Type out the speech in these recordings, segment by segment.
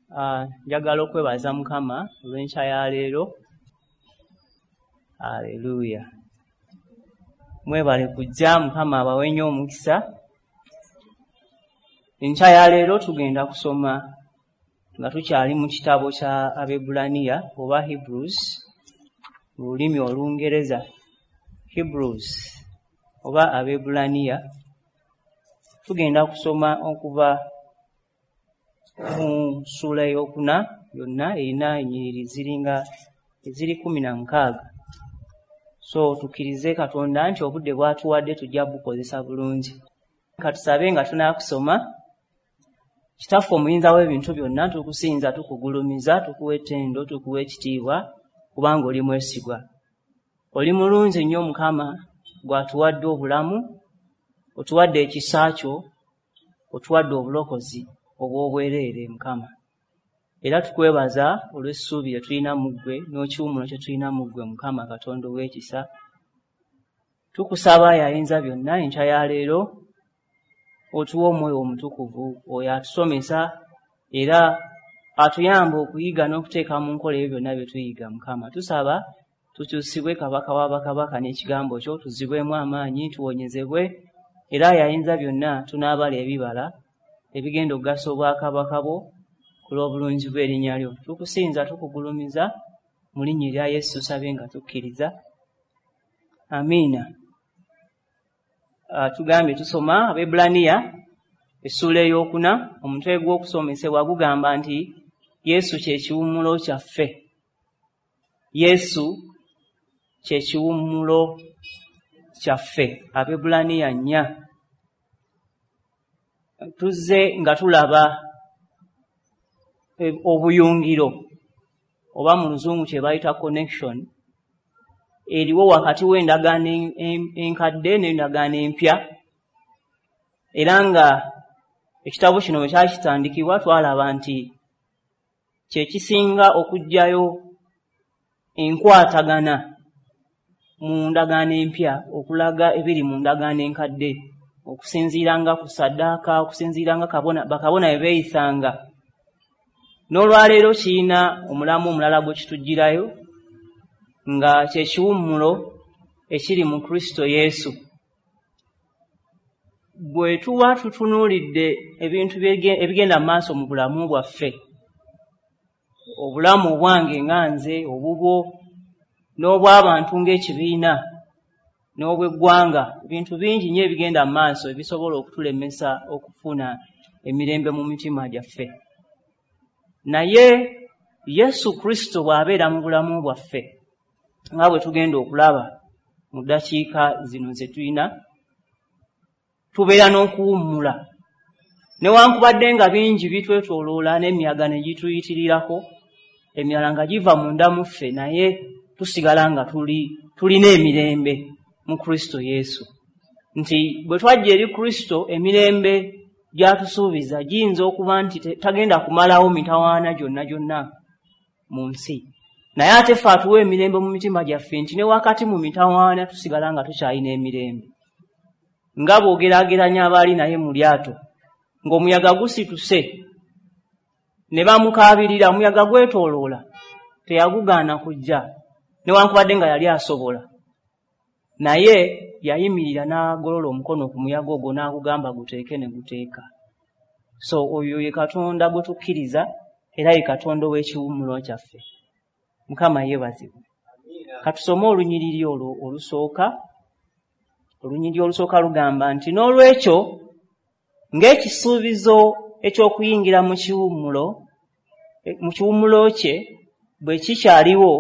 Njagala okwebaza Mukama olw'enkya ya leero. Aleluya. Mwebale kujja, Mukama abawe nnyo omukisa. Enkya ya leero tugenda kusoma nga tukyali mu kitabo kya Abebbulaniya oba Hebrews mu lulimi Olungereza. Hebrews oba Abebbulaniya. Tugenda kusoma okuva mu ssuula ey'okuna yonna erina ennyiriri ziringa eziri 16. So tukkirize Katonda nti obudde bw'atuwadde tujja bukozesa bulungi. Ka tusabe nga tunaakusoma. Kitaffe omuyinza w'ebintu byonna, tukusinza, tukugulumiza, tukuwa ettendo, tukuwa ekitiibwa, kubanga oli mwesigwa. Oli mulungi nnyo Mukama, gw'atuwadde obulamu, otuwadde ekisa kyo, otuwadde obulokozi obw'obwereere Mukama. Era tukwebaza olw'essuubi lye tulina mu ggwe n'ekiwummulo kye tulina mu ggwe Mukama Katonda ow'ekisa. Tukusaba ayinza byonna enkya ya leero otuwe Omwoyo Omutukuvu oyo atusomesa era atuyamba okuyiga n'okuteeka mu nkola ebyo byonna bye tuyiga Mukama. Tusaba tukyusibwe Kabaka wa bakabaka n'ekigambo kyo, tuzibwemu amaanyi, tuwonyezebwe, era ayinza byonna tunaabala ebibala ebigenda okugasa obwakabaka bwo ku lw'obulungi bw'erinnya lyo. Tukusinza, tukugulumiza mu linnya erya Yesu tusabye nga tukkiriza. Amiina. Tugambye tusoma Abebbulaniya essuula ey'okuna. Omutwe gw'okusomesebwa gugamba nti Yesu kye kiwummulo kyaffe. Yesu kye kiwummulo kyaffe. Abebbulaniya 4. Tuzze nga tulaba obuyungiro oba mu Luzungu kye bayita connection eriwo wakati w'endagaano enkadde n'endagaano empya, era nga ekitabo kino bwe kyakitandikibwa twalaba nti kye kisinga okuggyayo enkwatagana mu ndagaano empya okulaga ebiri mu ndagaano enkadde, okusinziira nga ku ssaddaaka, okusinziira nga bakabona bwe beeyisanga. N'olwaleero kirina omulamu omulala gwe kituggyirayo nga kye kiwummulo ekiri mu Kristo Yesu. Bwe tuba tutunuulidde ebintu ebigenda mu maaso mu bulamu bwaffe, obulamu obwange nga nze, obubwo, n'obw'abantu ng'ekibiina, n'obw'eggwanga, ebintu bingi nnyo ebigenda mu maaso ebisobola okutulemesa okufuna emirembe mu mitima gyaffe. Naye Yesu Kristo bw'abeera mu bulamu bwaffe, nga bwe tugenda okulaba mu ddakiika zino ze tulina, tubeera n'okuwummula. Newankubadde nga bingi bitwetooloola n'emiyaga ne gituyitirirako, emirala nga giva munda mu ffe, naye tusigala nga tulina emirembe mu Kristo Yesu. Nti bwe twajja eri Kristo, emirembe gy'atusuubiza giyinza okuba nti tagenda kumalawo mitawaana gyonna gyonna mu nsi. Naye ate ffe atuwa emirembe mu mitima gyaffe nti ne wakati mu mitawaana tusigala nga tukyalina emirembe. Nga bw'ogeraageranya abaali naye mu lyato, ng'omuyaga gusituse ne bamukaabirira, omuyaga gwetooloola, teyagugaana kujja, newankubadde nga yali asobola. Naye yayimirira n'agolola omukono ku muyaga ogwo n'agugamba guteeke ne guteeka. So oyo ye Katonda gwe tukkiriza era ye Katonda ow'ekiwummulo kyaffe. Mukama yeebazibwe. Katusome olunyiriri olwo olusooka. Olunyiriri olusooka lugamba nti n'olwekyo ng'ekisuubizo eky'okuyingira mu kiwummulo kye bwe kikyaliwo,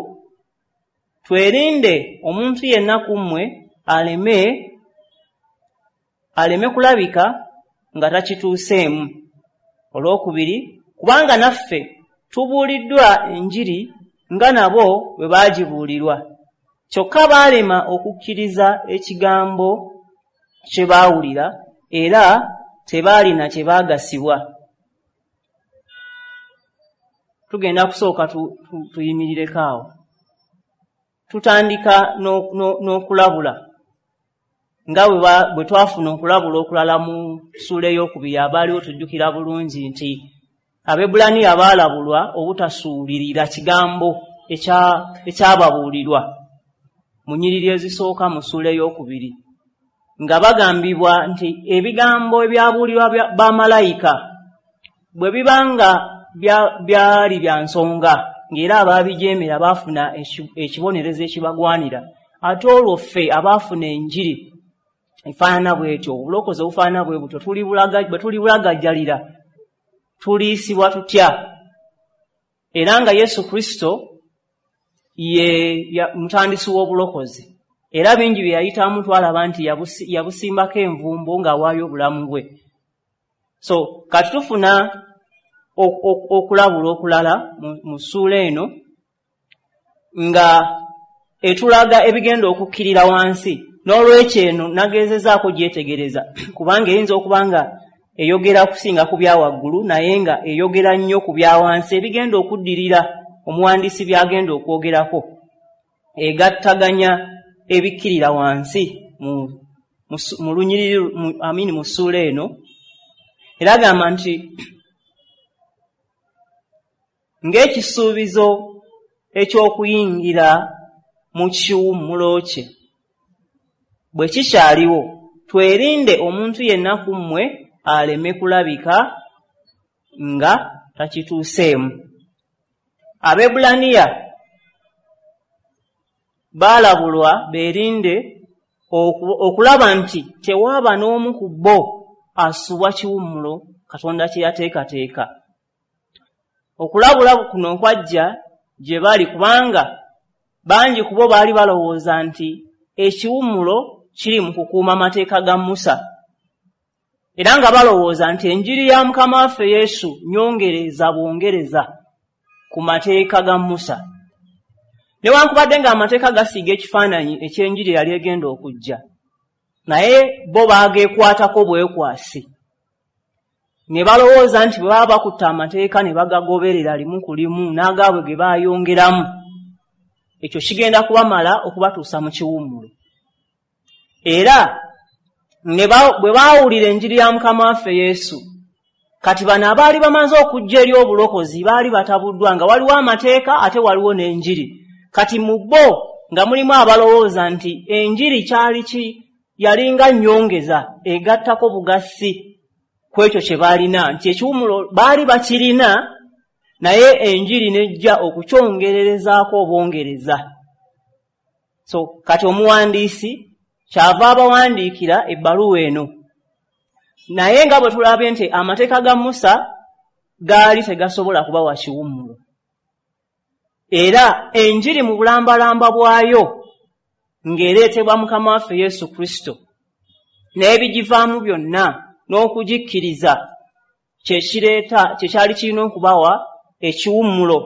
twerinde omuntu yenna ku mmwe aleme kulabika nga takituuseemu. Olwokubiri, kubanga naffe tubuuliddwa enjiri nga nabo bwe baagibuulirwa, kyokka baalema okukkiriza ekigambo kye baawulira era tebaalina kye baagasibwa. Tugenda kusooka tuyimirireko awo. Tutandika n'okulabula nga bwe twafuna okulabula okulala mu ssuula ey'okubiri. Abaaliwo tujjukira bulungi nti Abaebbulaniya baalabulwa obutasuulirira kigambo ekyababuulirwa mu nnyiriri ezisooka mu ssuula ey'okubiri, nga bagambibwa nti ebigambo ebyabuulirwa bamalayika bwe biba nga byali bya nsonga, ng'era abaabijeemera baafuna ekibonerezo ekibagwanira, ate olwo ffe abaafuna enjiri efaanana bw'etyo, obulokozi obufaanana bwe butyo, bwe tulibulagajjalira tuliisibwa tutya? Era nga Yesu Kristo ye mutandisi w'obulokozi, era bingi bye yayitamu twalaba nti yabusimbako envumbo ng'awaayo obulamu bwe. So kati tufuna okulabula okulala mu ssuula eno nga etulaga ebigenda okukkirira wansi. N'olwekyo eno nagezezaako gyetegereza, kubanga eyinza okuba nga eyogera kusinga ku bya waggulu, naye nga eyogera nnyo ku bya wansi ebigenda okuddirira omuwandiisi by'agenda okwogerako. Egattaganya ebikkirira wansi mu lunyiriri amini mu ssuula eno. Era agamba nti ng'ekisuubizo eky'okuyingira mu kiwummulo kye bwe kikyaliwo, twerinde omuntu yenna ku mmwe aleme kulabika nga takituuseemu. Abaebbulaniya baalabulwa beerinde okulaba nti tewaaba n'omu ku bo asubwa kiwummulo Katonda kye yateekateeka. Okulabula kuno kwajja gye bali kubanga bangi ku bo baali balowooza nti ekiwummulo kiri mu kukuuma amateeka ga Musa, era nga balowooza nti enjiri ya Mukama waffe Yesu nyongereza bwongereza ku mateeka ga Musa. Newankubadde ng'amateeka gasiiga ekifaananyi eky'enjiri eyali egenda okujja, naye bo baageekwatako bwekwasi ne balowooza nti bwe baba bakutta amateeka ne bagagoberera limu ku limu n'agaabwe ge baayongeramu, ekyo kigenda kubamala okubatuusa mu kiwummulo. Era bwe baawulira enjiri ya Mukama waffe Yesu, kati bano abaali bamaze okujja eri obulokozi baali batabuddwa nga waliwo amateeka ate waliwo n'enjiri. Kati mu bo nga mulimu abalowooza nti enjiri kyali ki yalinga nnyongeza egattako bugassi ku ekyo kye baalina, nti ekiwummulo baali bakirina naye enjiri n'ejja okukyongererezaako obwongereza. So kati omuwandiisi kyava abawandiikira ebbaluwa eno, naye nga bwe tulabye nti amateeka ga Musa gaali tegasobola kubawa kiwummulo, era enjiri mu bulambalamba bwayo ng'ereetebwa Mukama waffe Yesu Kristo n'ebigivaamu byonna n'okugikkiriza kye kireeta kye kyali kirina okubawa ekiwummulo.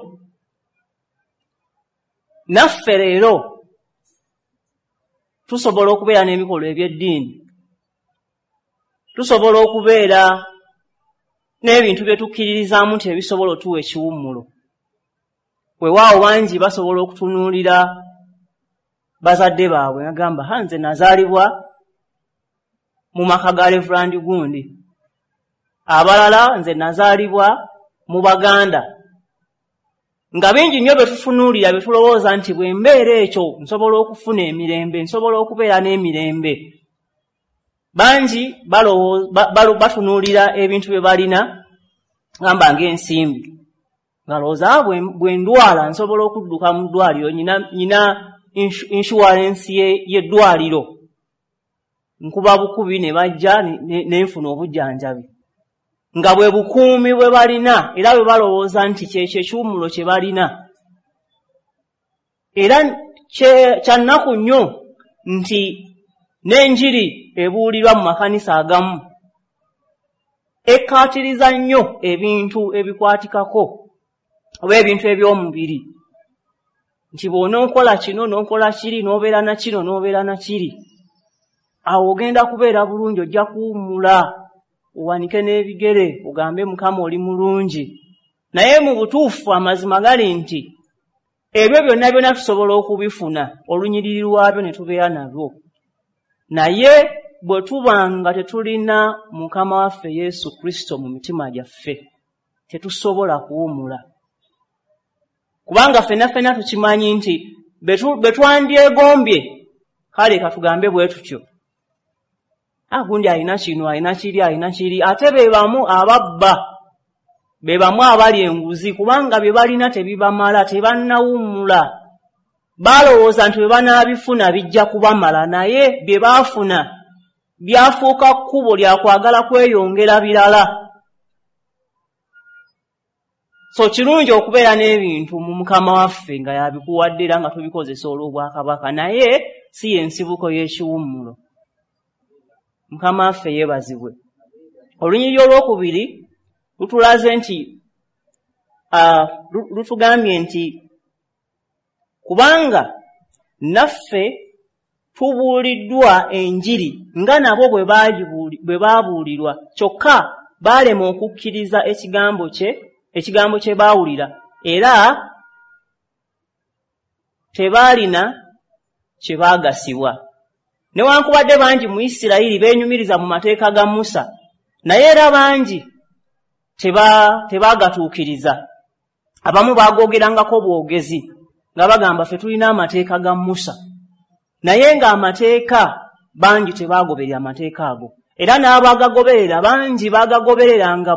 Naffe leero tusobola okubeera n'ebikolwa eby'eddiini, tusobola okubeera n'ebintu bye tukkiririzaamu nti ebisobola otuwa ekiwummulo. Weewaawo bangi basobola okutunuulira bazadde baabwe ngagamba, ha, nze nazaalibwa mu maka ga Reverend gundi, abalala nze nazaalibwa mu Baganda. Nga bingi nnyo bye tutunuulira bye tulowooza nti bwe mbeera ekyo nsobola okufuna emirembe, nsobola okubeera n'emirembe. Bangi batunuulira ebintu bye balina, gamba ng'ensimbi, ngalowooza bwe ndwala nsobola okudduka mu ddwaliro, nyina insurance y'eddwaliro, nkuba bukubi ne bajja ne nfuna obujjanjabi. Nga bwe bukuumi bwe balina, era bwe balowooza nti kyekyo ekiwummulo kye balina. Era kya nnaku nnyo nti n'enjiri ebuulirwa mu makanisa agamu ekkaatiriza nnyo ebintu ebikwatikako oba ebintu eby'omubiri, nti bw'onookola kino n'okola kiri n'obeera na kino n'obeera na kiri, awo ogenda kubeera bulungi, ojja kuwummula owanike n'ebigere ogambe Mukama oli mulungi. Naye mu butuufu amazima gali nti ebyo byonna byonna tusobola okubifuna olunyiriri lwabyo ne tubeera nalwo, naye bwe tuba nga tetulina Mukama waffe Yesu Kristo mu mitima gyaffe, Tetusobola kuwummula, kubanga ffenna ffenna tukimanyi nti be twandyegombye, kale katugambe bwe tutyo, gundi alina kino, alina kiri, alina kiri, ate be bamu ababba, be bamu abali enguzi, kubanga bye balina tebibamala, tebannawummula. Balowooza nti bwe banaabifuna bijja kubamala, naye bye baafuna byafuuka kkubo lya kwagala kweyongera birala. So kirungi okubeera n'ebintu mu Mukama waffe nga yabikuwadde era nga tubikozesa olw'obwakabaka, naye si y'ensibuko y'ekiwummulo. Mukama waffe yeebazibwe. Olunyiriri olwokubiri lutulaze nti lutugambye nti kubanga naffe tubuuliddwa enjiri nga nabo bwe baabuulirwa, kyokka baalema okukkiriza ekigambo kye baawulira, era tebaalina kye baagasibwa. Newankubadde bangi mu Isirayiri beenyumiriza mu mateeka ga Musa, naye era bangi tebaagatuukiriza. Abamu baagoogerangako bwogezi nga bagamba ffe tulina amateeka ga Musa, naye ng'amateeka bangi tebaagoberera amateeka ago, era n'abaagagoberera bangi baagagobereranga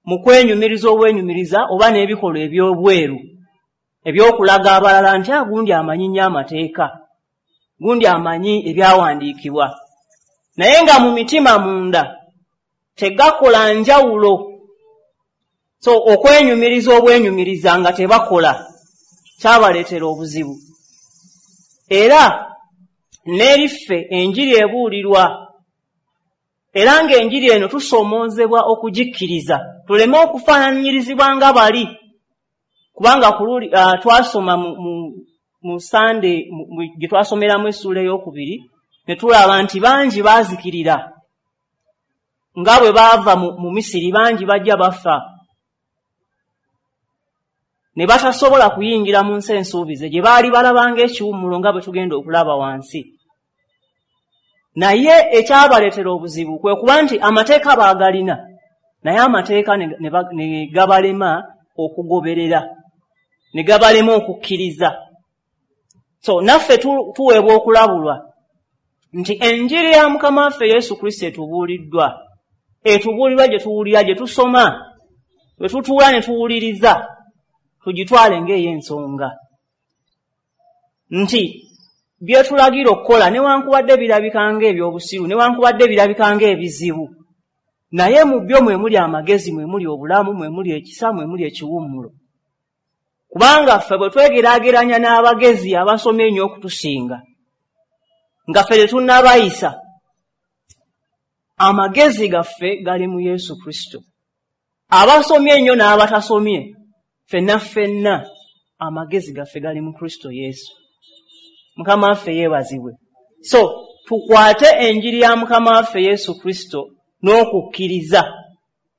mu kwenyumiriza obwenyumiriza oba n'ebikolwa eby'obweru eby'okulaga abalala nti gundi amanyi nnyo amateeka, gundi amanyi ebyawandiikibwa, naye nga mu mitima munda tegakola njawulo. So okwenyumiriza obwenyumiriza nga tebakola kyabaleetera obuzibu. Era n'eriffe enjiri ebuulirwa, era ng'enjiri eno tusoomoozebwa okugikkiriza, tuleme okufaananyirizibwa nga bali, kubanga twasoma mu Sande gye twasomeramu essuula ey'okubiri ne tulaba nti bangi baazikirira nga bwe baava mu Misiri, bangi bajja bafa ne batasobola kuyingira mu nsi ensuubize gye baali balabanga ekiwummulo nga bwe tugenda okulaba wansi. Naye ekyabaleetera obuzibu kwe kuba nti amateeka baagalina, naye amateeka ne gabalema okugoberera, ne gabalema okukkiriza. So naffe tuweebwa okulabulwa nti enjiri ya Mukama waffe Yesu Kristo etubuuliddwa, etubuulirwa gye tuwulira, gye tusoma, bwe tutuula ne tuwuliriza, tugitwale ng'ey'ensonga nti byetulagira okukola newankubadde birabika ng'ebyobusiru, newankubadde birabika ng'ebizibu, naye mu byo mwe muli amagezi, mwe muli obulamu, mwe muli ekisa, mwe muli ekiwummulo. Kubanga ffe bwe twegeraageranya n'abagezi abasomye ennyo okutusinga, nga ffe tetunnabayisa, amagezi gaffe gali mu Yesu Kristo. Abasomye ennyo n'abatasomye, ffenna ffenna amagezi gaffe gali mu Kristo Yesu. Mukama waffe yeebazibwe. So tukwate enjiri ya Mukama waffe Yesu Kristo n'okukkiriza,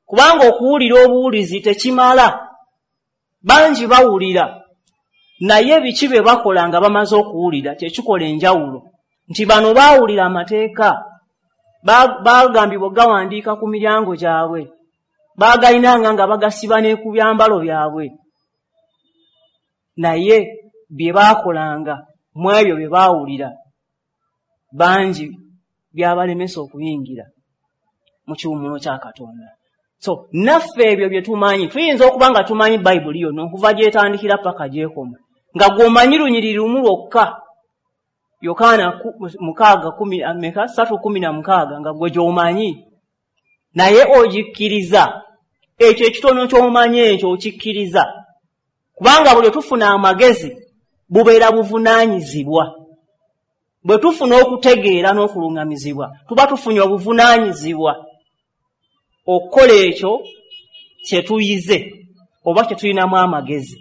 kubanga okuwulira obuwulizi tekimala. Bangi bawulira, naye biki bye bakola nga bamaze okuwulira kyekikola enjawulo. Nti bano baawulira amateeka, baagambibwa gawandiika ku miryango gyabwe, baagalinanga nga bagasiba ne ku byambalo byabwe, naye bye baakolanga mu ebyo bye baawulira bangi byabalemesa okuyingira mu kiwummulo kya Katonda. So naffe ebyo bye tumanyi, tuyinza okuba nga tumanyi Bayibuli yonna okuva gy'etandikira paka gy'ekoma, nga gw'omanyi lunyiriri lumu lwokka, Yokaana 6:16, nga gwe gy'omanyi, naye ogikkiriza. Ekyo ekitono ky'omanyi ekyo okikkiriza, kubanga buli tufuna amagezi bubeera buvunaanyizibwa. Bwe tufuna okutegeera n'okuluŋŋamizibwa, tuba tufunye obuvunaanyizibwa okukola ekyo kye tuyize oba kye tulinamu amagezi.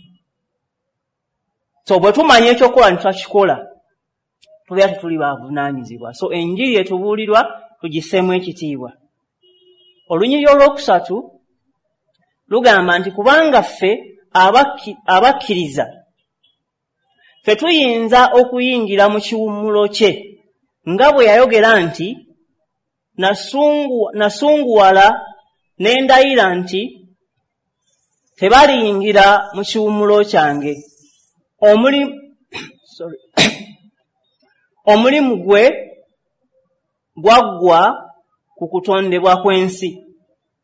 So bwe tumanya ekyokukola ne tutakikola, tubeera tetuli bavunaanyizibwa. So enjiri etubuulirwa tugisseemu ekitiibwa. Olunyiriri olwokusatu lugamba nti kubanga ffe abakkiriza ffe tuyinza okuyingira mu kiwummulo kye, nga bwe yayogera nti nasunguwala ne ndayira nti Tebaliyingira mu kiwummulo kyange. Omulimu gwe gwaggwa ku kutondebwa kw'ensi.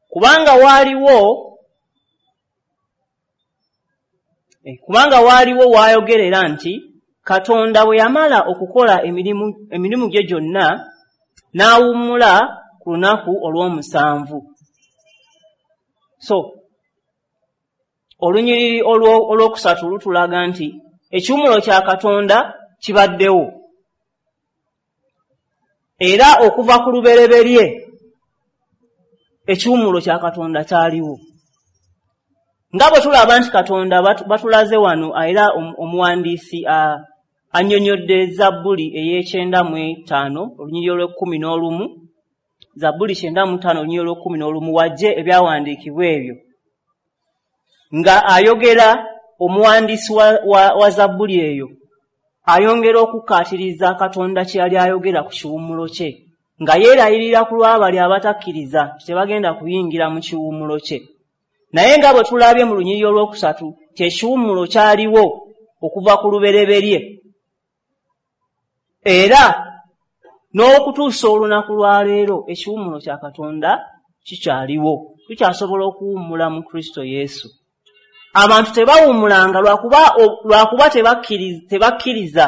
Kubanga waaliwo waayogerera nti Katonda bwe yamala okukola emirimu gye gyonna n'awummula ku lunaku olw'omusanvu. So olunyiriri olwokusatu lutulaga nti ekiwummulo kya Katonda kibaddewo. Era okuva ku lubereberye ekiwummulo kya Katonda kyaliwo. Nga bwe tulaba nti Katonda batulaze wano, era omuwandiisi annyonnyodde Zabbuli ey'ekyenda mu ttaano olunyiriri olw'ekkumi n'olumu, Zabbuli 95 olunyiriri olw'ekkumi n'olumu, wajje ebyawandiikibwa ebyo nga ayogera omuwandiisi wa Zabbuli eyo ayongera okukkaatiriza Katonda kye yali ayogera ku kiwummulo kye, nga yeerayirira ku lw'abali abatakkiriza nti tebagenda kuyingira mu kiwummulo kye. Naye nga bwe tulabye mu lunyiriri olwokusatu, kyekiwummulo kyaliwo okuva ku lubereberye era n'okutuusa olunaku lwa leero ekiwummulo kya Katonda kikyaliwo. Tukyasobola okuwummula mu Kristo Yesu. Abantu tebawummulanga lwakuba tebakkiriza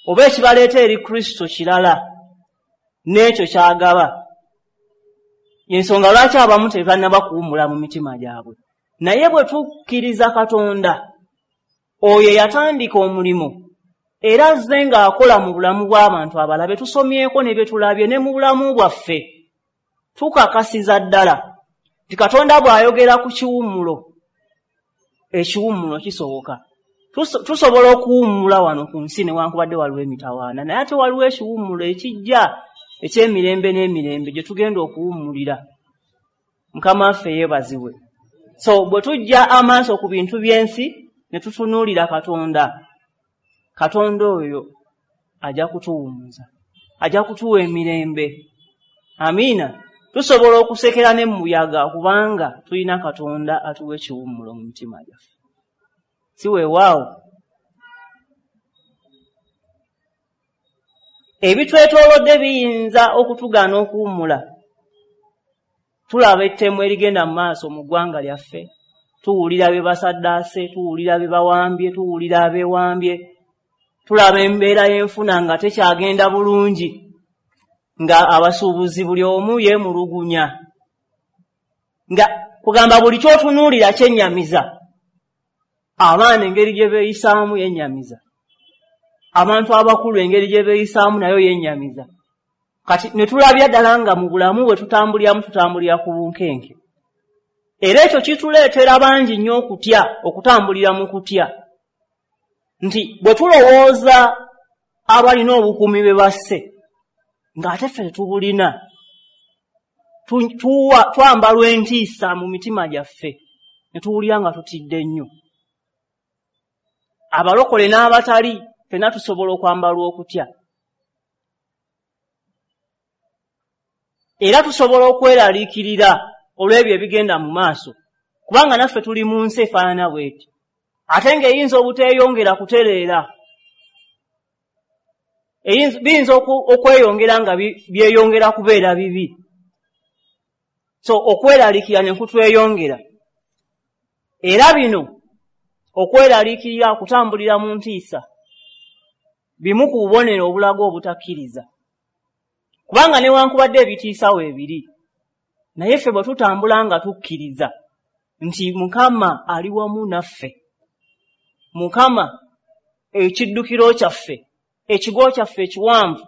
oba ekibaleeta eri Kristo kirala n'ekyo kyagaba. Ensonga lwaki abamu tebannaba kuwummula mu mitima gyabwe. Naye bwe tukkiriza Katonda oyo eyatandika omulimu era azze ng'akola mu bulamu bw'abantu abalala be tusomyeko ne bye tulabye ne mu bulamu bwaffe, tukakasiza ddala nti Katonda bw'ayogera ku kiwummulo, ekiwummulo kisoboka. Tusobola okuwummula wano ku nsi newankubadde waliwo emitawaana, naye ate waliwo ekiwummulo ekijja eky'emirembe n'emirembe gye tugenda okuwummulira. Mukama waffe yeebazibwe. So bwe tujja amaaso ku bintu by'ensi ne tutunuulira Katonda, Katonda oyo ajja kutuwummuza, ajja kutuwa emirembe. Amiina. Tusobola okusekera ne muyaga kubanga tulina Katonda atuwa ekiwummulo mu mitima gyaffe. Si weewaawo? Ebitwetoolodde biyinza okutugaana okuwummula. Tulaba ettemu erigenda mu maaso mu ggwanga lyaffe, tuwulira bye basaddaase, tuwulira bye bawambye, tuwulira abeewambye, tulaba embeera y'enfuna nga tekyagenda bulungi, nga abasuubuzi buli omu yeemulugunya, nga kugamba buli ky'otunuulira kyennyamiza. Abaana engeri gye beeyisaamu yennyamiza, abantu abakulu engeri gye beeyisaamu nayo yennyamiza. Kati ne tulabya ddala nga mu bulamu bwe tutambuliramu tutambulira ku bunkenke, era ekyo kituleetera bangi nnyo okutya, okutambulira mu kutya, nti bwe tulowooza abalina obukuumi bwe basse ng'ate ffe tetubulina, twambalwa entiisa mu mitima gyaffe ne tuwulira nga tutidde nnyo. Abalokole n'abatali ffenna tusobola okwambalwa okutya, era tusobola okweraliikirira olw'ebyo ebigenda mu maaso, kubanga naffe tuli mu nsi efaanana bweti, ate ng'eyinza obuteeyongera kutereera, biyinza okweyongera nga byeyongera kubeera bibi. So okweraliikirira ne kutweyongera, era bino okweraliikirira, okutambulira mu ntiisa, bimu ku bubonero obulaga obutakkiriza, kubanga newankubadde ebitiisa weebiri, naye ffe bwe tutambula nga tukkiriza nti Mukama ali wamu naffe, Mukama ekiddukiro kyaffe, ekigo kyaffe ekiwanvu,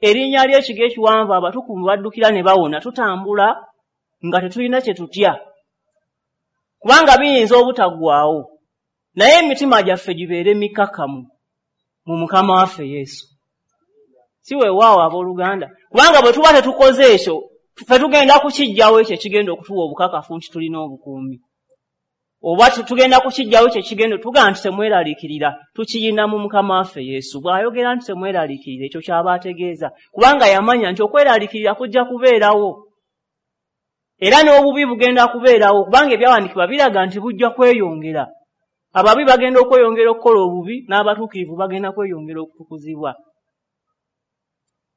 erinnya ly'ekigo ekiwanvu abatukuvu baddukira ne bawona, tutambula nga tetulina kye tutya, kubanga biyinza obutaggwaawo, naye emitima gyaffe gibeere mikkakkamu mu Mukama waffe Yesu. Si weewaawo, abooluganda? Kubanga bwe tuba tetukoze ekyo, ffe tugenda kukiggyawo ekyo ekigenda okutuwa obukakafu nti tulina obukuumi, oba tugenda kukiggyawo ekyo ekigenda tugamba nti temweraliikirira, tukiyina mu Mukama waffe Yesu. Bw'ayogera nti temweraliikirira, ekyo ky'aba ategeeza, kubanga yamanya nti okweraliikirira kujja kubeerawo. Era n'obubi bugenda kubeerawo, kubanga ebyawandiikibwa biraga nti bujja kweyongera. Ababi bagenda okweyongera okukola obubi, n'abatuukirivu bagenda kweyongera okutukuzibwa.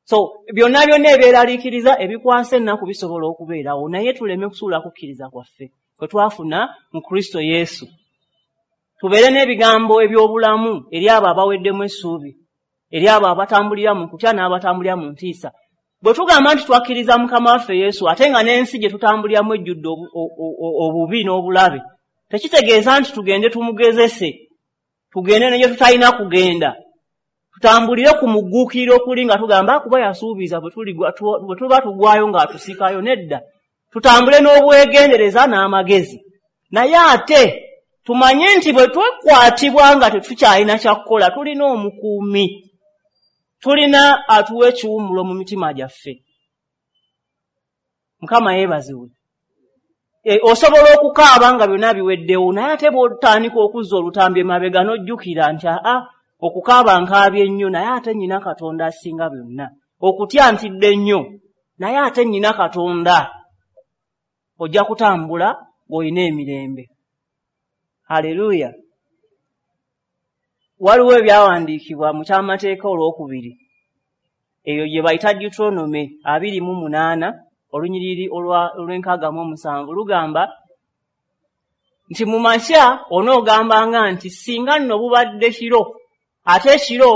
So byonna byonna ebyeraliikiriza, ebikwasa ennaku bisobola okubeerawo, naye tuleme kusuula kukkiriza kwaffe kwe twafuna mu Kristo Yesu. Tubeere n'ebigambo eby'obulamu eri abo abaweddemu essuubi, eri abo abatambulira mu kutya n'abatambulira mu ntiisa. Bwe tugamba nti twakkiriza Mukama waffe Yesu, ate nga n'ensi gye tutambuliramu ejjudde obubi n'obulabe, tekitegeeza nti tugende tumugezese, tugende ne gye tutalina kugenda, tutambulire ku mugguukiriro okuli nga tugamba kuba yasuubiza bwe tuba tugwayo ng'atusikayo. Nedda, tutambule n'obwegendereza n'amagezi, naye ate tumanye nti bwe twekwatibwa nga tetukyalina kyakukola, tulina omukuumi, tulina atuwa ekiwummulo mu mitima gyaffe. Mukama yeebazibwe. Osobola okukaaba nga byonna biweddewo, naye ate bw'otandika okuzza olutambi emabega n'ojjukira nti aa, okukaaba nkaabye nnyo, naye ate nnyina Katonda asinga byonna. Okutya ntidde nnyo, naye ate nnyina Katonda. Ojja kutambula ng'olina emirembe. Haleluya. Waliwo ebyawandiikibwa mu kyamateeka olwokubiri, eyo gye bayita Deuteronomy 28, olunyiriri olw'e67 lugamba nti mu makya onoogambanga nti singa nno bubadde kiro, ate ekiro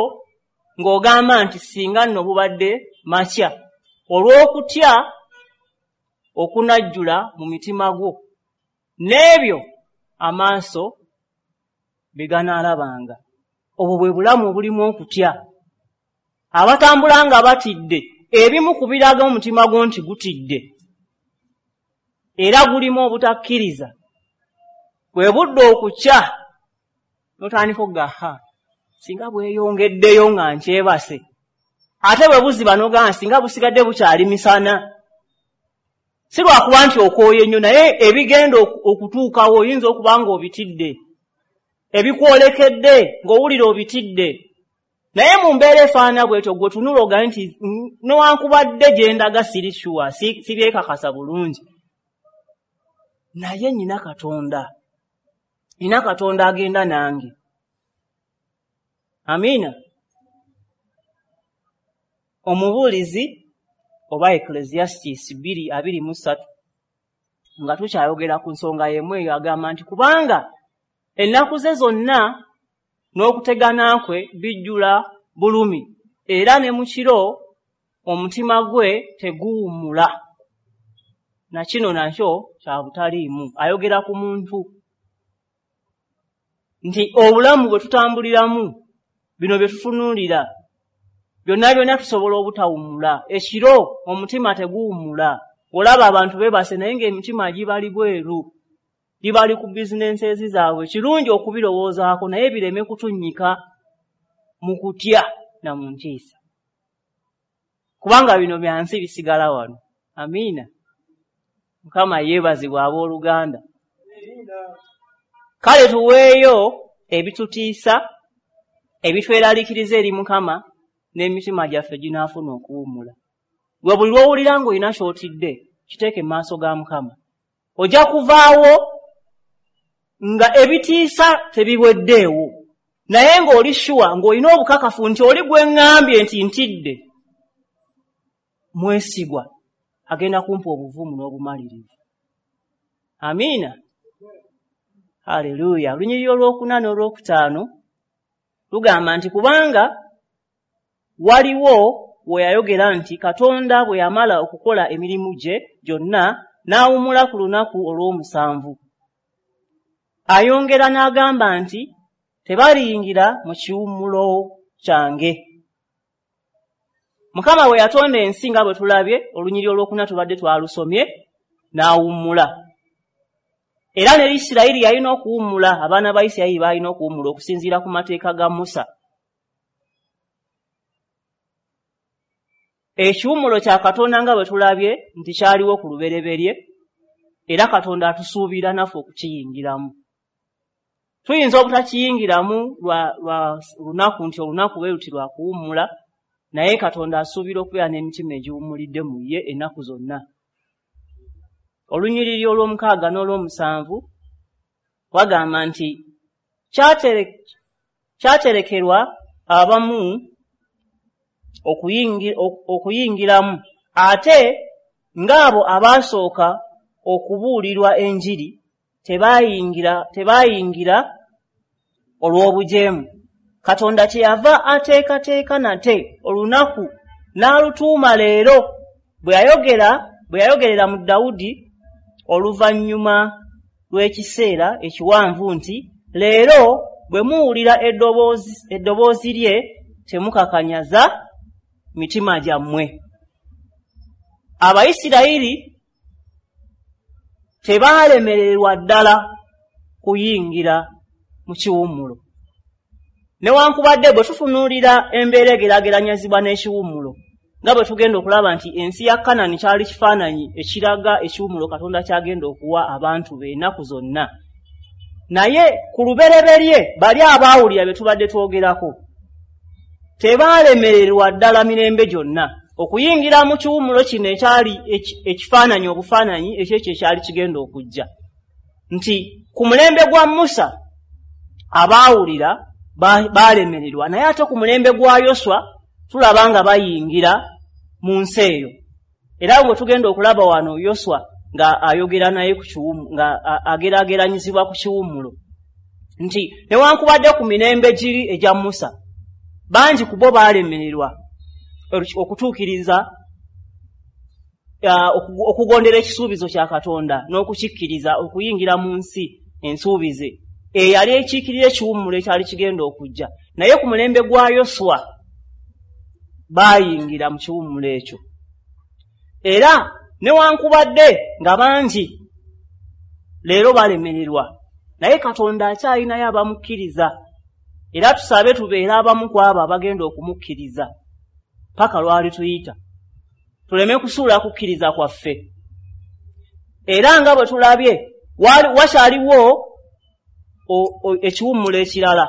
ng'ogamba nti singa nno bubadde makya, olw'okutya okunajjula mu mitima gwo n'ebyo amaaso bye ganaalabanga. Obwo bwe bulamu obulimu okutya. Abatambula nga batidde, ebimu ku biraga omutima gwo nti gutidde era gulimu obutakkiriza, bwe budde okukya n'otandika okuga, ha, singa bweyongeddeyo nga nkyebase, ate bwe buziba n'ogamba singa busigadde bukyali misana. Si lwakuba nti okooye nnyo, naye ebigenda okutuukawo oyinza okuba ng'obitidde, ebikwolekedde ng'owulira obitidde. Naye mu mbeera efaanana bw'etyo, gwe tunula ogambe nti newankubadde gye ndaga siri sure, sibyekakasa bulungi, naye nnyina Katonda, nnyina Katonda agenda nange. Amiina. Omubuulizi oba Ecclesiastes 2:23, nga tukyayogera ku nsonga y'emu eyo, agamba nti kubanga ennaku ze zonna n'okutegana kwe bijjula bulumi, era ne mu kiro omutima gwe teguwummula. Na kino nakyo kya butaliimu. Ayogera ku muntu nti obulamu bwe tutambuliramu, bino bye tutunuulira byonna byonna, tusobola obutawummula. Ekiro omutima teguwummula. Olaba abantu beebase naye ng'emitima gibali bweru, gibali ku bizinensi zaabwe. Kirungi okubirowoozaako, naye bireme kutunnyika mu kutya na mu ntiisa, kubanga bino bya nsi, bisigala wano. Amiina. Mukama yeebazibwa. Abooluganda, kale tuweeyo ebitutiisa, ebitweraliikiriza eri Mukama, n'emitima gyaffe ginaafuna okuwummula. Gwe buli lw'owulira ng'olina ky'otidde, kiteeke mu maaso ga Mukama, ojja kuvaawo nga ebitiisa tebiweddeewo, naye ng'oli sure, ng'olina obukakafu nti oli gwe ŋŋambye nti ntidde mwesigwa, agenda kumpa obuvumu n'obumalirivu. Amiina, haleluya. Olunyiriri olwokuna n'olwokutaano lugamba nti kubanga waliwo we yayogera nti Katonda bwe yamala okukola emirimu gye gyonna, n'awummula ku lunaku olw'omusanvu. Ayongera n'agamba nti tebaliyingira mu kiwummulo kyange. Mukama bwe yatonda ensi, nga bwe tulabye olunyiriri olwokuna tubadde twalusomye, n'awummula. Era ne Isirayiri yalina okuwummula, abaana ba Isirayiri baalina okuwummula okusinziira ku mateeka ga Musa. Ekiwummulo kya Katonda, nga bwe tulabye nti kyaliwo ku lubereberye, era Katonda atusuubira naffe okukiyingiramu. Tuyinza obutakiyingiramu lwa lunaku nti olunaku bwe luti lwa kuwummula, naye Katonda asuubira okubeera n'emitima egiwummulidde mu ye ennaku zonna. Olunyiriri olw'omukaaga n'olw'omusanvu wagamba nti kyaterekerwa abamu okuyingiramu, ate ng'abo abaasooka okubuulirwa enjiri tebaayingira olw'obujeemu. Katonda kyeyava ateekateeka nate olunaku n'alutuuma leero, bwe yayogerera mu Dawudi oluvannyuma lw'ekiseera ekiwanvu nti, leero bwe muwulira eddoboozi lye temukakanyaza mitima gyammwe. Abayisirayiri tebaalemererwa ddala kuyingira mu kiwummulo. Newankubadde bwe tutunuulira embeera egeraageranyizibwa n'ekiwummulo, nga bwe tugenda okulaba nti ensi ya Kanani kyali kifaananyi ekiraga ekiwummulo Katonda ky'agenda okuwa abantu be ennaku zonna. Naye ku lubereberye bali abaawulira bye tubadde twogerako tebaalemererwa ddala mirembe gyonna okuyingira mu kiwummulo kino ekyali ekifaananyi obufaananyi ekyekyo ekyali kigenda okujja. Nti ku mulembe gwa Musa abaawulira baalemererwa, naye ate ku mulembe gwa Yoswa tulaba nga bayingira mu nsi eyo. Era bwe tugenda okulaba wano Yoswa nga ayogera naye ku kiwummulo, nga ageraageranyizibwa ku kiwummulo, nti newankubadde ku mirembe giri egya Musa bangi ku bo baalemererwa okutuukiriza okugondera ekisuubizo kya Katonda n'okukikkiriza okuyingira mu nsi ensuubize eyali ekiikirira ekiwummulo ekyali kigenda okujja. Naye ku mulembe gwa Yoswa baayingira mu kiwummulo ekyo. Era newankubadde nga bangi leero balemererwa, naye Katonda akyalinayo abamukkiriza. Era tusabe tubeere abamu ku abo abagenda okumukkiriza paka lwali tuyita, tuleme kusuula kukkiriza kwaffe. Era nga bwe tulabye wakyaliwo ekiwummulo ekirala,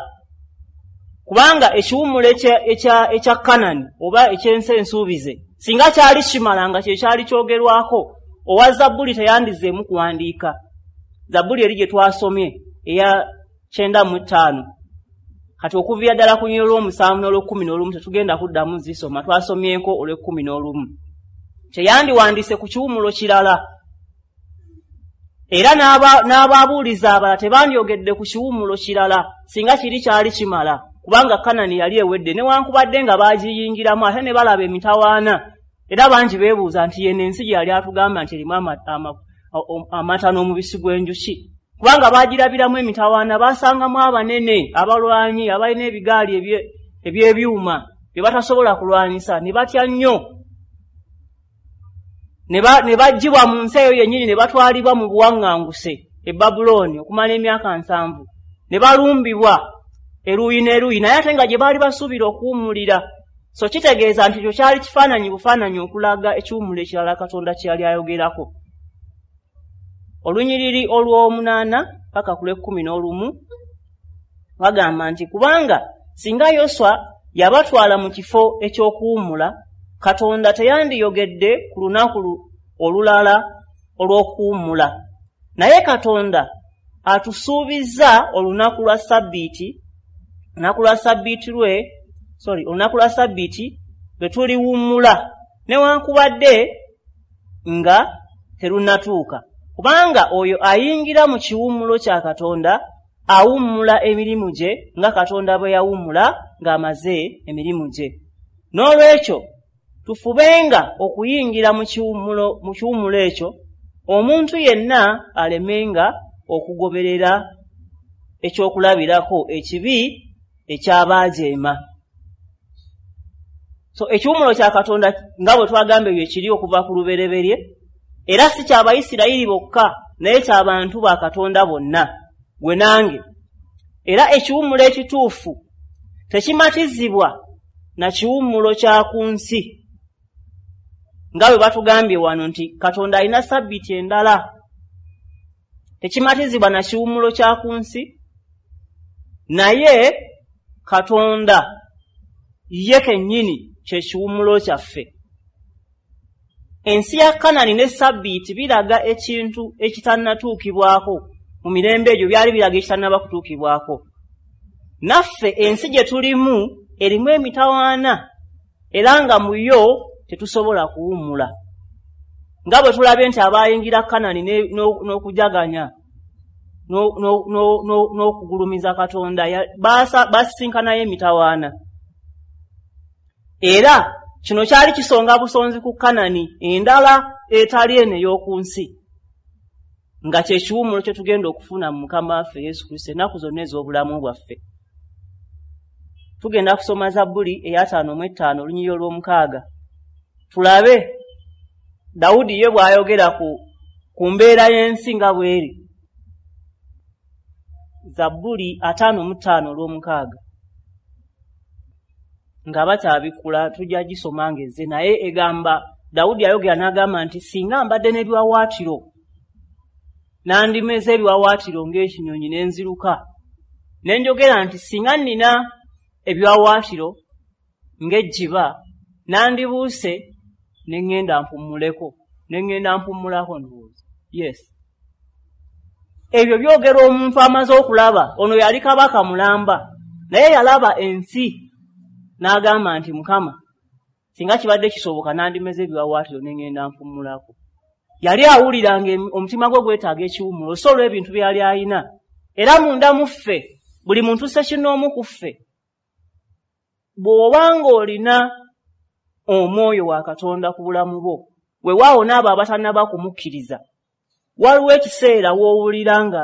kubanga ekiwummulo ekya Kanani oba eky'ensi ensuubize singa kyali kimala nga kye kyali kyogerwako, owa Zabbuli teyandizzeemu kuwandiika. Zabbuli eri gye twasomye eya 95, kati okuviira ddala ku lunyiriri olw'omusanvu n'olw'ekumi n'olumu tetugenda kuddamu zisoma, twasomyeko olw'ekumi n'olumu. Teyandiwandiise ku kiwummulo kirala, era n'ababuulizi abalala tebandyogedde ku kiwummulo kirala singa kiri kyali kimala, kubanga Kanani yali ewedde. Newankubadde nga baagiyingiramu ate ne balaba emitawaana, era bangi beebuuza nti yeno ensi gye yali atugamba nti erimu amata n'omubisi gw'enjuki, kubanga baagirabiramu emitawaana, baasangamu abanene abalwanyi abalina ebigaali eby'ebyuma bye batasobola kulwanyisa, ne batya nnyo, ne baggyibwa mu nsi eyo yennyini ne batwalibwa mu buwaŋŋanguse e Babulooni okumala emyaka 70, ne balumbibwa eruuyi n'eruuyi, naye ate nga gye baali basuubira okuwummulira. So kitegeeza nti ekyo kyali kifaananyi bufaananyi okulaga ekiwummulo ekirala Katonda kye yali ayogerako. Olunyiriri olw'omunaana paka ku lw'ekumi n'olumu bagamba nti, kubanga singa Yoswa yabatwala mu kifo eky'okuwummula, Katonda teyandiyogedde ku lunaku olulala olw'okuwummula. Naye Katonda atusuubizza olunaku lwa Sabbiiti, olunaku lwa Sabbiiti lwe, sorry, olunaku lwa Sabbiiti lwe tuliwummula newankubadde nga terunnatuuka, kubanga oyo ayingira mu kiwummulo kya Katonda awummula emirimu gye nga Katonda bwe yawummula ng'amaze emirimu gye. N'olwekyo tufubenga okuyingira mu kiwummulo ekyo, omuntu yenna alemenga okugoberera ekyokulabirako ekibi ekyabaajeema. So ekiwummulo kya Katonda nga bwe twagambye bye kiri okuva ku lubereberye, era si ky'Abayisirayiri bokka, naye ky'abantu ba Katonda bonna, gwe nange. Era ekiwummulo ekituufu tekimatizibwa na kiwummulo kya ku nsi, nga bwe batugambye wano nti Katonda alina sabbiiti endala. Tekimatizibwa na kiwummulo kya ku nsi, naye Katonda ye kennyini kye kiwummulo kyaffe. Ensi ya Kanani ne Sabbiiti biraga ekintu ekitannatuukibwako. Mu mirembe egyo byali biraga ekitannaba kutuukibwako. Naffe ensi gye tulimu erimu emitawaana era nga mu yo tetusobola kuwummula. Nga bwe tulabye nti abaayingira Kanani n'okujaganya n'okugulumiza Katonda basisinkanayo emitawaana. Era kino kyali kisonga busonzi ku Kanani endala etali eno ey'oku nsi, nga kye kiwummulo kye tugenda okufuna mu Mukama waffe Yesu Kristo ennaku zonna ez'obulamu bwaffe. Tugenda kusoma Zabbuli eya 55 olunyiriri olw'omukaaga, tulabe Dawudi ye bw'ayogera ku mbeera y'ensi nga bw'eri. Zabbuli 55 olw'omukaaga, nga bakyabikkula tujja gisoma ng'ezze, naye egamba, Dawudi ayogera n'agamba nti, "Singa mbadde n'ebiwawaatiro, nandimeze ebiwawaatiro ng'ekinyonyi ne nziruka." Ne njogera nti, "Singa nnina ebiwawaatiro ng'ejjiba, nandibuuse ne ŋŋenda mpummuleko, ne ŋŋenda mpummulako." Ndowooza yes, ebyo byogera omuntu amaze okulaba. Ono yali kabaka mulamba, naye yalaba ensi n'agamba nti, "Mukama, singa kibadde kisoboka, nandimeze ebiwawaatiro ne ŋŋenda mpummulako." Yali awulira nga omutima gwe gwetaaga ekiwummulo, so olw'ebintu byali ayina. Era munda mu ffe, buli muntu ssekinnoomu ku ffe, bw'obanga olina omwoyo wa Katonda ku bulamu bwo, weewaawo n'abo abatannaba kumukkiriza, waliwo ekiseera w'owulira nga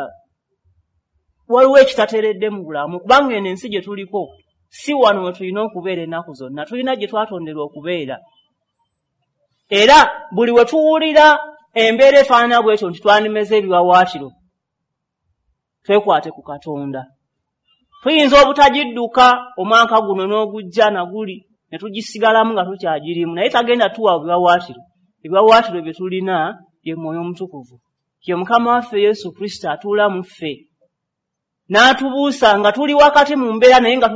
waliwo ekitateredde mu bulamu, kubanga eno ensi gye tuliko si wano we tulina okubeera ennaku zonna. Tulina gye twatonderwa okubeera. Era buli we tuwulira embeera efaanana bwetyo nti twandimeze ebiwawaatiro, twekwate ku Katonda. Tuyinza obutagidduka omwaka guno n'ogujja naguli ne tugisigalamu nga tukyagirimu, naye tagenda tuwa biwawaatiro. Ebiwawaatiro bye tulina ye Mwoyo Omutukuvu, ye Mukama waffe Yesu Kristo atuula mu ffe n'atubuusa nga tuli wakati mu mbeera, naye nga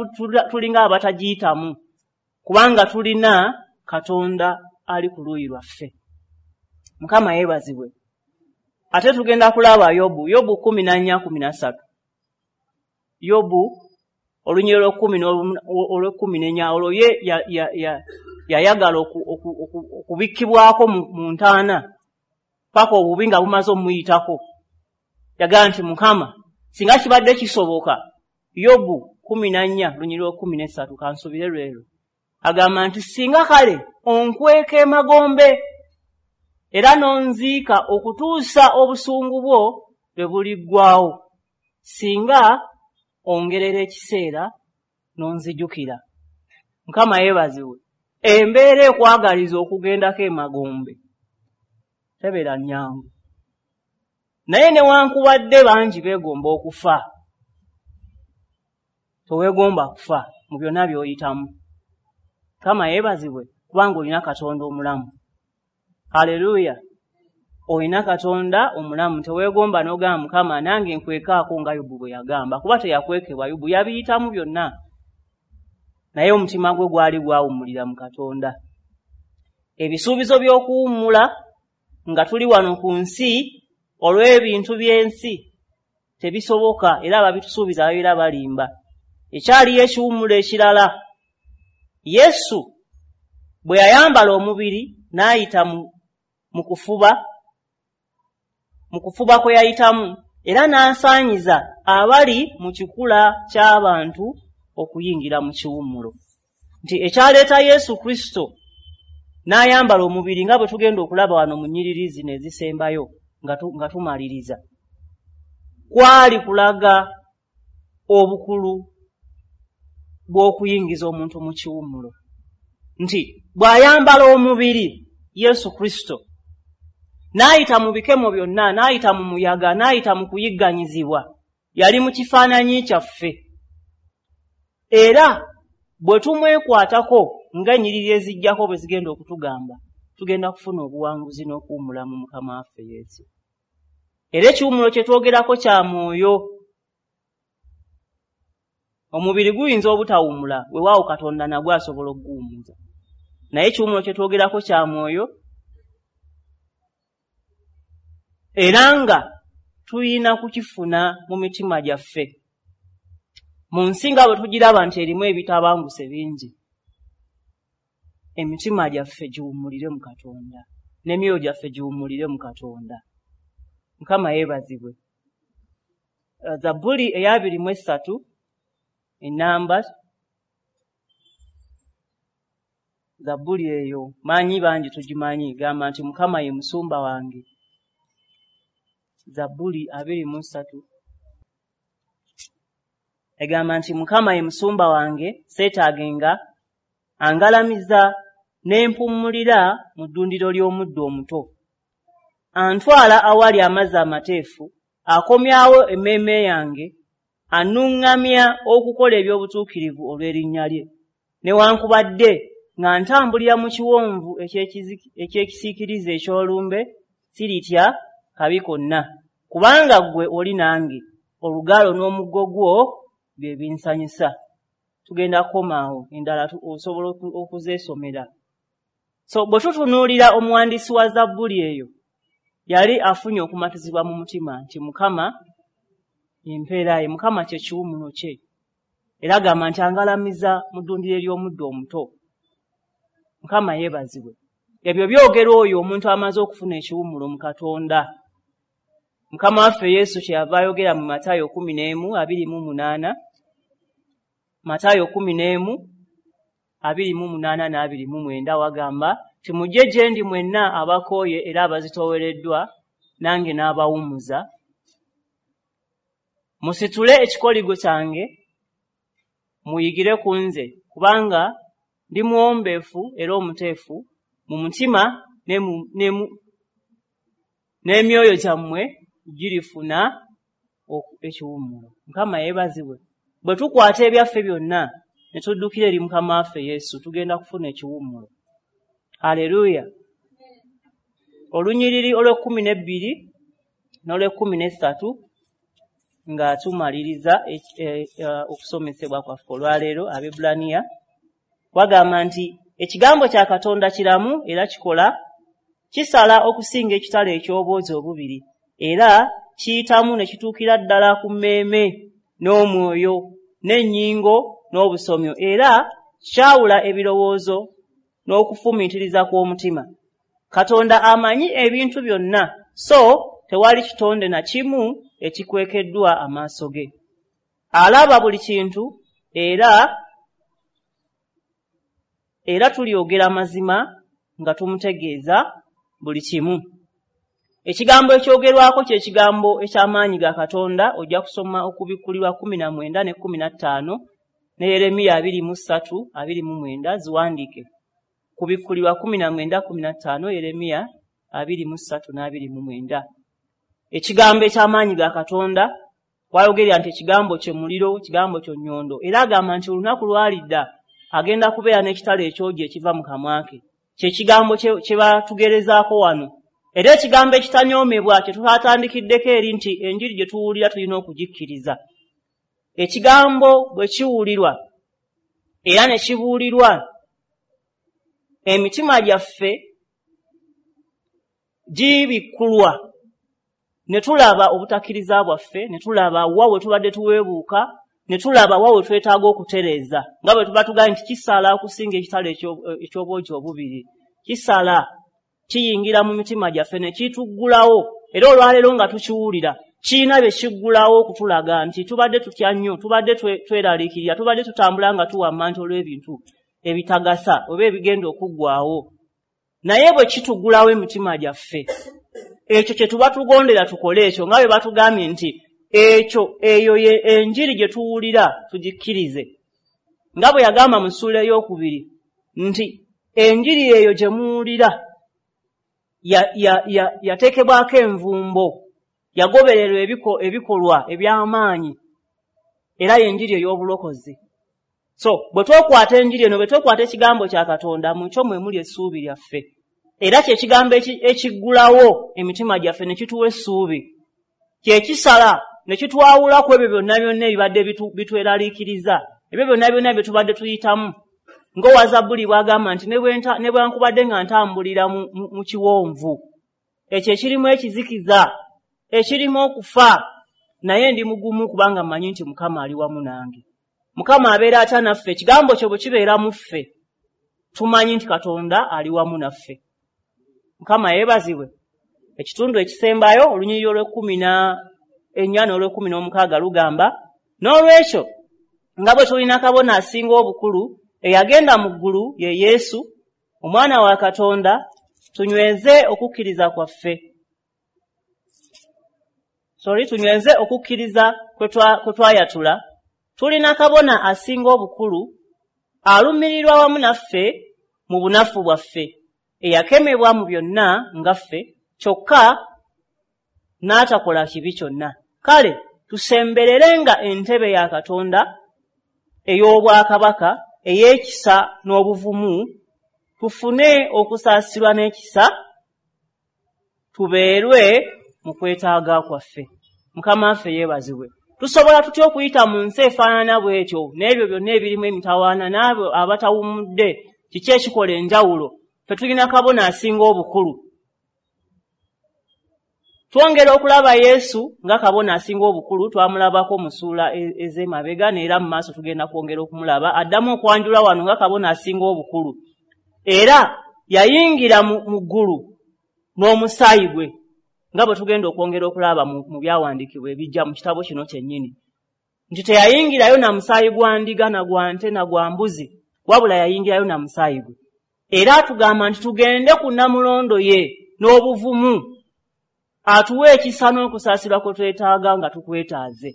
tulinga abatagiyitamu, kubanga tulina Katonda ali ku luuyi lwaffe. Mukama yeebazibwe. Ate tugenda kulaba Yobu, Yobu 14:13. Yobu olunyiriri olw'olwekumi n'enya, olwo ye yayagala okubikkibwako mu ntaana paka obubi nga bumaze omuyitako. Yagamba nti, "Mukama, singa kibadde kisoboka." Yobu 14 lunyiriri olw'ekkumi n'essatu, kansubire lwero, agamba nti, "Singa kale onkweka emagombe era n'onziika okutuusa obusungu bwo lwe buliggwawo, singa ongerera ekiseera n'onzijukira." Mukama yeebazibwe. Embeera ekwagaliza okugendako emagombe tebeera nnyangu, naye newankubadde bangi beegomba okufa, teweegomba kufa mu byonna by'oyitamu. Mukama yeebazibwe, kubanga olina Katonda omulamu. Haleluya! Olina Katonda omulamu, teweegomba n'ogamba, "Mukama, nange nkwekaako," nga Yobu bwe yagamba, kuba teyakwekebwa. Yobu yabiyitamu byonna, naye omutima gwe gwali gwawummulira mu Katonda. Ebisuubizo by'okuwummula nga tuli wano ku nsi olw'ebintu by'ensi tebisoboka, era ababitusuubiza babeera balimba. Ekyaliyo ekiwummulo ekirala, Yesu bwe yayambala omubiri n'ayita mu kufuba kwe yayitamu, era n'asaanyiza abali mu kikula ky'abantu okuyingira mu kiwummulo. Nti ekyaleeta Yesu Kristo n'ayambala omubiri, nga bwe tugenda okulaba wano mu nnyiriri zino ezisembayo nga tumaliriza, kwali kulaga obukulu bw'okuyingiza omuntu mu kiwummulo. Nti bw'ayambala omubiri Yesu Kristo n'ayita mu bikemo byonna, n'ayita mu muyaga, n'ayita mu kuyigganyizibwa, yali mu kifaananyi kyaffe. Era bwe tumwekwatako, ng'ennyiriri ezijjako bwe zigenda okutugamba, tugenda kufuna obuwanguzi n'okuwummula mu Mukama waffe Yesu. Era ekiwummulo kye twogerako kya mwoyo. Omubiri guyinza obutawummula, weewaawo Katonda nagwo asobola okuguwummuza, naye ekiwummulo kye twogerako kya mwoyo. Era nga tulina kukifuna mu mitima gyaffe. Mu nsi nga bwe tugiraba nti erimu ebitabanguse bingi, emitima gyaffe giwummulire mu Katonda, n'emyoyo gyaffe giwummulire mu Katonda. Mukama yeebazibwe. Zabbuli eya 23 ennamba, zabbuli eyo manyi bangi tugimanyi, gamba nti Mukama ye musumba wange. Zabbuli 23 egamba nti Mukama ye musumba wange, seetaagenga, angalamiza ne mpummulira mu ddundiro ly'omuddo omuto. Antwala awali amazzi amateefu, akomyawo emmeeme yange, annuŋŋamya okukola eby'obutuukirivu olw'erinnya lye. Newankubadde nga ntambulira mu kiwonvu eky'ekisiikirize eky'olumbe, siritya kabi konna, kubanga ggwe oli nange, olugalo n'omuggo gwo bye binsanyusa. Tugenda kukomaawo, endala osobola okuzeesomera. So bwe tutunuulira omuwandiisi wa zabbuli eyo, yali afunye okumatizibwa mu mutima nti Mukama empeera ye, Mukama kye kiwummulo kye. Era agamba nti angalamiza mu ddundiro ery'omuddo omuto. Mukama yeebazibwe. Ebyo byogera oyo omuntu amaze okufuna ekiwummulo mu Katonda. Mukama waffe Yesu kyeyava ayogera mu Matayo 11:28, Matayo 11:28 n'29, wagamba nti mujje gye ndi mwenna abakooye era abazitoowereddwa, nange n'abawummuza. Musitule ekikoligo kyange, muyigire ku nze, kubanga ndi muwombeefu era omuteefu mu mutima, n'emyoyo gyammwe girifuna ekiwummulo. Mukama yeebazibwe. Bwe tukwata ebyaffe byonna ne tuddukira eri Mukama waffe Yesu, tugenda kufuna ekiwummulo. Haleluya. Olunyiriri olw'e12 n'olw'e13 nga tumaliriza okusomesebwa kwaffe olwaleero, Abebbulaniya wagamba nti ekigambo kya Katonda kiramu era kikola, kisala okusinga ekitala eky'obwogi obubiri, era kiyitamu ne kituukira ddala ku mmeeme n'omwoyo n'ennyingo n'obusomyo, era kyawula ebirowoozo n'okufumiitiriza kw'omutima. Katonda amanyi ebintu byonna, so tewali kitonde na kimu ekikwekeddwa amaaso ge. Alaba buli kintu, era tulyogera amazima nga tumutegeeza buli kimu. Ekigambo ekyogerwako kye kigambo eky'amaanyi ga Katonda. Ojja kusoma Okubikkulirwa 19 ne 15 ne Yeremiya 23:29, ziwandiike. Kubikkulirwa 19, 15, Yeremiya 23 n'29. Ekigambo eky'amaanyi ga Katonda, wayogerera nti ekigambo kye muliro, ekigambo kye nnyondo, era agamba nti olunaku lwalidda agenda kubeera n'ekitala ekyogi ekiva mu kamwa ke. Kye kigambo kye batugerezaako wano. Era ekigambo ekitanyoomebwa kye twatandikiddeko eri nti enjiri gye tuwulira tulina okugikkiriza. Ekigambo bwe kiwulirwa era ne kibuulirwa, emitima gyaffe gibikkulwa ne tulaba obutakkiriza bwaffe, ne tulaba wa we tubadde tuweebuuka, ne tulaba wa we twetaaga okutereeza, nga bwe tuba tugambye nti kisala okusinga ekitala eky'obwogi obubiri. Kisala, kiyingira mu mitima gyaffe ne kituggulawo. Era olwaleero nga tukiwulira, kirina bye kiggulawo okutulaga nti tubadde tutya nnyo, tubadde tweraliikirira, tubadde tutambula nga tuwamma nti olw'ebintu ebitagasa oba ebigenda okuggwaawo. Naye bwe kituggulawo emitima gyaffe, ekyo kye tuba tugondera tukole ekyo, nga bwe batugambye nti ekyo eyo ye enjiri gye tuwulira tugikkirize, nga bwe yagamba mu ssuula 2 nti enjiri eyo gye muwulira yateekebwako envumbo, yagobererwa ebikolwa eby'amaanyi, era y'enjiri ey'obulokozi. So bwe twokwata enjiri eno, bwe twokwata ekigambo kya Katonda, mu kyo mwe muli essuubi lyaffe. Era kye kigambo ekiggulawo emitima gyaffe ne kituwa essuubi, kye kisala ne kitwawula ku ebyo byonna byonna ebibadde bitweraliikiriza, ebyo byonna byonna bye tubadde tuyitamu. Ng'owa Zabbuli bw'agamba nti ne bwe nkubadde nga ntambulira mu kiwonvu ekyo ekirimu ekizikiza ekirimu okufa, naye ndi mugumu kubanga mmanyi nti Mukama ali wamu nange. Mukama abeera atya naffe? Ekigambo kye bwe kibeera mu ffe, tumanyi nti Katonda ali wamu naffe. Mukama yeebazibwe. Ekitundu ekisembayo, olunyiriri olw'e14 n'olw'e16 lugamba, n'olwekyo nga bwe tulina kabona asinga obukulu eyagenda mu ggulu, ye Yesu, Omwana wa Katonda, tunyweze okukkiriza kwaffe. Sorry, tunyweze okukkiriza kwe twayatula. Tulina kabona asinga obukulu alumirirwa wamu naffe mu bunafu bwaffe, eyakemebwa mu byonna nga ffe, kyokka n'atakola kibi kyonna. Kale tusembererenga entebe ya Katonda ey'obwakabaka ey'ekisa n'obuvumu, tufune okusaasirwa n'ekisa, tubeerwe mu kwetaaga kwaffe. Mukama waffe yeebazibwe. Tusobola tutya okuyita mu nsi efaanana bw'etyo n'ebyo byonna ebirimu emitawaana n'abo abatawummudde? Kiki ekikola enjawulo? Ffe tulina kabona asinga obukulu. Twongera okulaba Yesu nga kabona asinga obukulu, twamulabako mu ssuula ez'emabega, n'era mu maaso tugenda kwongera okumulaba. Addamu okwanjula wano nga kabona asinga obukulu, era yayingira mu ggulu n'omusaayi gwe, nga bwe tugenda okwongera okulaba mu byawandiikibwa ebijja mu kitabo kino kyennyini, nti teyayingirayo na musaayi gwa ndiga na gwa nte na gwa mbuzi, wabula yayingirayo na musaayi gwe. Era atugamba nti tugende ku nnamulondo ye n'obuvumu, atuwe ekisa n'okusaasirwa kwe twetaaga nga tukwetaaze.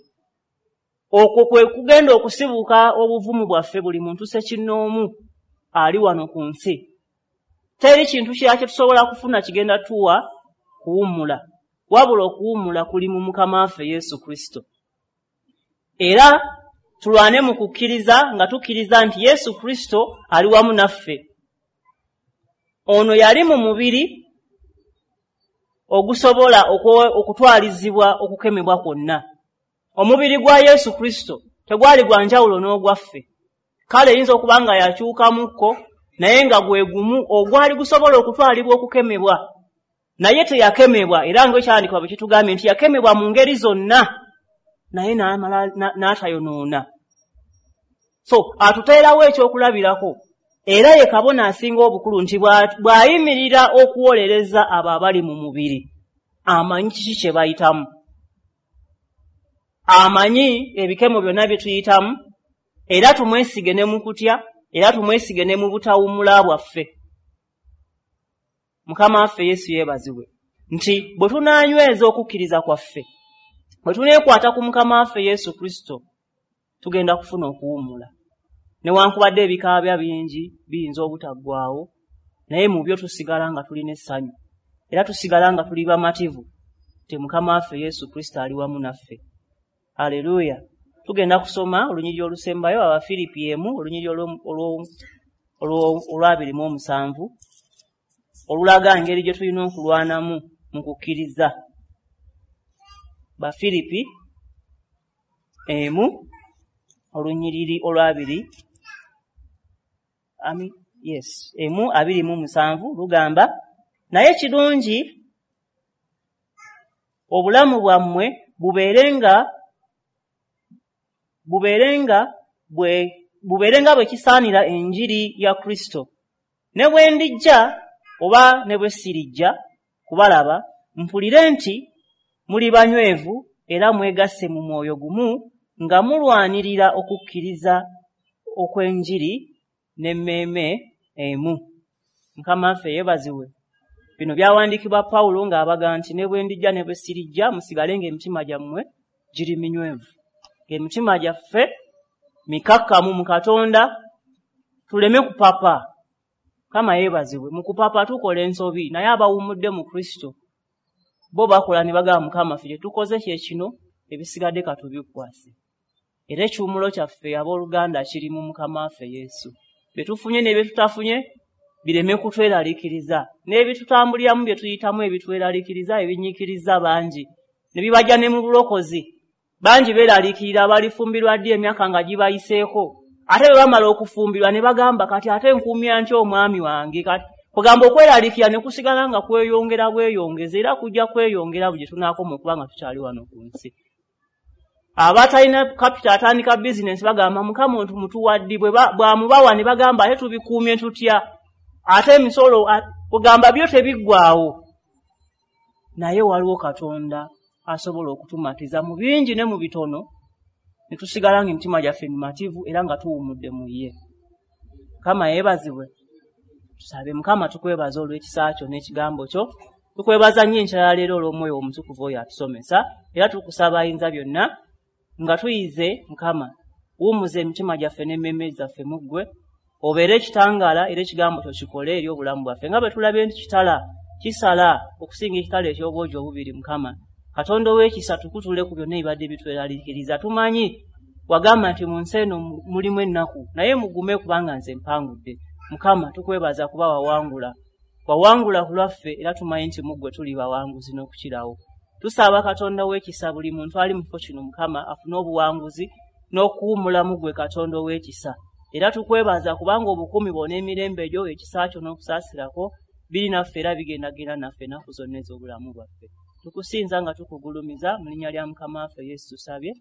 Okwo kwe kugenda okusibuka obuvumu bwaffe buli muntu ssekinnoomu ali wano ku nsi. Teri kintu kirala kye tusobola kufuna kigenda tuwa kuwummula, wabula okuwummula kuli mu Mukama waffe Yesu Kristo. Era tulwane mu kukkiriza nga tukkiriza nti Yesu Kristo ali wamu naffe. Ono yali mu mubiri ogusobola okutwalizibwa okukemebwa kwonna. Omubiri gwa Yesu Kristo tegwali gwa njawulo n'ogwaffe. Kale eyinza okuba nga yakyukamukko, naye nga gwe gumu ogwali gusobola okutwalibwa okukemebwa. Naye teyakemebwa, era ng'ekyawandiikibwa bwe kitugambye nti yakemebwa mu ngeri zonna, naye n'amala n'atayonoona. So atuteerawo ekyokulabirako, era ye kabona asinga obukulu nti bw'ayimirira okuwolereza abo abali mu mubiri, amanyi kiki kye bayitamu, amanyi ebikemo byonna bye tuyitamu, era tumwesige ne mu kutya, era tumwesige ne mu butawummula bwaffe. Mukama waffe Yesu yeebazibwe nti bwe tunaanyweza okukkiriza kwaffe, bwe tuneekwata ku Mukama waffe Yesu Kristo, tugenda kufuna okuwummula. Newankubadde ebikaabya bingi biyinza obutaggwaawo, naye mu byo tusigala nga tulina essanyu, era tusigala nga tuli bamativu nti Mukama waffe Yesu Kristo ali wamu naffe. Aleluya! Tugenda kusoma olunyiriri olusembayo, Abafiripi 1, olunyiriri olw'27, olulaga engeri gye tulina okulwanamu mu kukkiriza. Bafiripi 1, olunyiriri olwabiri, yes, 1:27 lugamba, naye kirungi obulamu bwammwe bubeerenga bwe kisaanira enjiri ya Kristo. Ne bwe ndijja oba ne bwe sirijja kubalaba, mpulire nti muli banywevu era mwegasse mu mwoyo gumu nga mulwanirira okukkiriza okw'enjiri n'emmeeme emu. Mukama waffe yeebazibwe. Bino byawandiikibwa Pawulo ng'abaga nti ne bwe ndijja ne bwe sirijja, musigale ng'emitima gyammwe giri minywevu, ng'emitima gyaffe mikakkamu mu Katonda, tuleme kupapa. Mukama yeebazibwe. Mu kupapa tukola ensobi, naye abawummudde mu Kristo bo bakola ne bagamba, Mukama ffe kye tukoze kye kino, ebisigadde katubikwase. Era ekiwummulo kyaffe abooluganda kiri mu Mukama waffe Yesu. Bye tufunye ne bye tutafunye bireme kutweraliikiriza, n'ebitutambuliramu bye tuyitamu ebitweraliikiriza, ebinyiikiriza bangi, ne bibajja ne mu bulokozi. Bangi beeraliikirira balifumbirwa ddi emyaka nga gibayiseeko, ate bwe bamala okufumbirwa ne bagamba, kati ate nkuumya ntya omwami wange, kati Kugamba okweraliikirira ne kusigala nga kweyongera bweyongeza, era kujja kweyongera buli gye tunaakoma okuba nga tukyali wano ku nsi. Abatalina kapita atandika bizinensi bagamba Mukama mutuwaddi, bw'amubawa ne bagamba ate tubikuumye tutya, ate emisolo, kugamba byo tebiggwaawo. Naye waliwo Katonda asobola okutumatiza mu bingi ne mu bitono, ne tusigala ng'emitima gyaffe mimativu era nga tuwummudde mu ye. Mukama yeebazibwe. Tusabe. Mukama, tukwebaza olw'ekisa kyo n'ekigambo kyo. Tukwebaza nnyo enkya ya leero olw'Omwoyo Omutukuvu oyo atusomesa, era tukusaba ayinza byonna nga tuyize. Mukama, wummuza emitima gyaffe n'emmeeme zaffe mu ggwe, obeere ekitangaala, era ekigambo kyo kikole eri obulamu bwaffe, nga bwe tulabye nti kitala kisala okusinga ekitala eky'obwogi obubiri. Mukama Katonda ow'ekisa, tukutule ku byonna ebibadde bitweraliikiriza. Tumanyi wagamba nti mu nsi eno mulimu ennaku, naye mugume kubanga nze mpangudde. Mukama, tukwebaza kuba wawangula, wawangula ku lwaffe, era tumanyi nti mu ggwe tuli bawanguzi n'okukirawo. Tusaba Katonda w'ekisa buli muntu ali mu kifo kino, Mukama, afune obuwanguzi n'okuwummula mu ggwe Katonda ow'ekisa. Era tukwebaza kubanga obukuumi bwo n'emirembe gyo, ekisa kyo n'okusaasirako biri naffe era bigendagenda naffe ennaku zonna ez'obulamu bwaffe. Tukusinza nga tukugulumiza mu linnya lya Mukama waffe Yesu tusabye.